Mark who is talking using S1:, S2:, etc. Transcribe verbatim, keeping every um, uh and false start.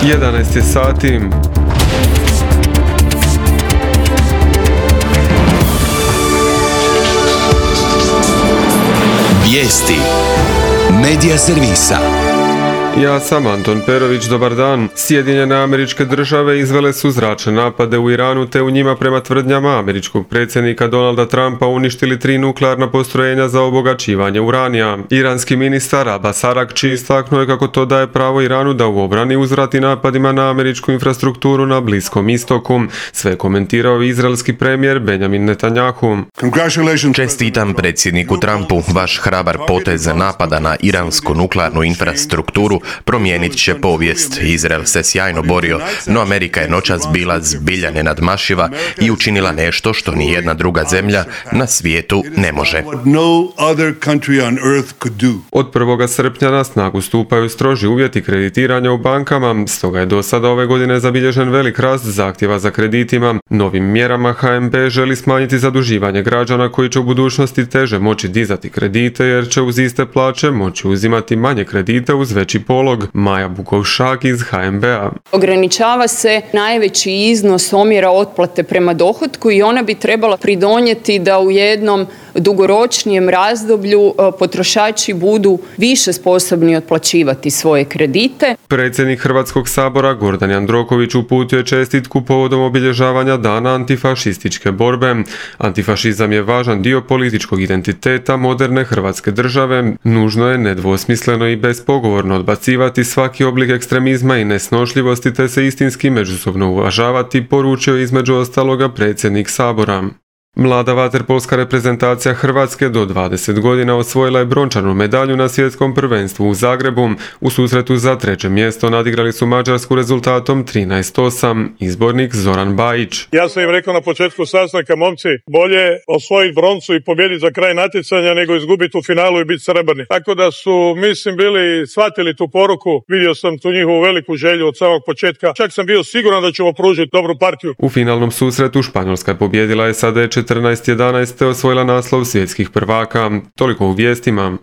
S1: jedanaest je sati.
S2: Vijesti Medija servisa.
S1: Ja sam Anton Perović, dobar dan. Sjedinjene Američke Države izvele su zračne napade u Iranu te u njima prema tvrdnjama američkog predsjednika Donalda Trumpa uništili tri nuklearna postrojenja za obogaćivanje uranija. Iranski ministar Abbas Aragči istaknuo je kako to daje pravo Iranu da u obrani uzvrati napadima na američku infrastrukturu na Bliskom istoku. Sve komentirao izraelski premijer Benjamin Netanjahu.
S3: Čestitam predsjedniku Trumpu, vaš hrabar potez napada na iransku nuklearnu infrastrukturu promijenit će povijest. Izrael se sjajno borio, no Amerika je noćas bila zbilja nenadmašiva i učinila nešto što ni jedna druga zemlja na svijetu ne može.
S1: Od prvog srpnja na snagu stupaju stroži uvjeti kreditiranja u bankama, stoga je do sada ove godine zabilježen velik rast zahtjeva za kreditima. Novim mjerama H N B želi smanjiti zaduživanje građana koji će u budućnosti teže moći dizati kredite jer će uz iste plaće moći uzimati manje kredite uz veći polog. Maja Bukovšak iz H N B-a.
S4: Ograničava se najveći iznos omjera otplate prema dohotku i ona bi trebala pridonijeti da u jednom dugoročnijem razdoblju potrošači budu više sposobni otplaćivati svoje kredite.
S1: Predsjednik Hrvatskog sabora Gordan Jandroković uputio je čestitku povodom obilježavanja Dana antifašističke borbe. Antifašizam je važan dio političkog identiteta moderne Hrvatske države. Nužno je nedvosmisleno i bespogovorno odbacivati svaki oblik ekstremizma i nesnošljivosti te se istinski međusobno uvažavati, poručio između ostaloga predsjednik sabora. Mlada vaterpolska reprezentacija Hrvatske do dvadeset godina osvojila je brončanu medalju na svjetskom prvenstvu u Zagrebu. U susretu za treće mjesto nadigrali su Mađarsku rezultatom trinaest osam. Izbornik Zoran Bajić.
S5: Ja sam im rekao na početku sastanka, momci, bolje osvojiti broncu i pobijediti za kraj natjecanja nego izgubiti u finalu i biti srebrni. Tako da su, mislim, bili shvatili tu poruku. Vidio sam tu njihovu veliku želju od samog početka. Čak sam bio siguran da ćemo pružiti dobru partiju.
S1: U finalnom susretu Španjolska je pobijedila S A D četrnaest jedanaest te osvojila naslov svjetskih prvaka. Toliko u vijestima.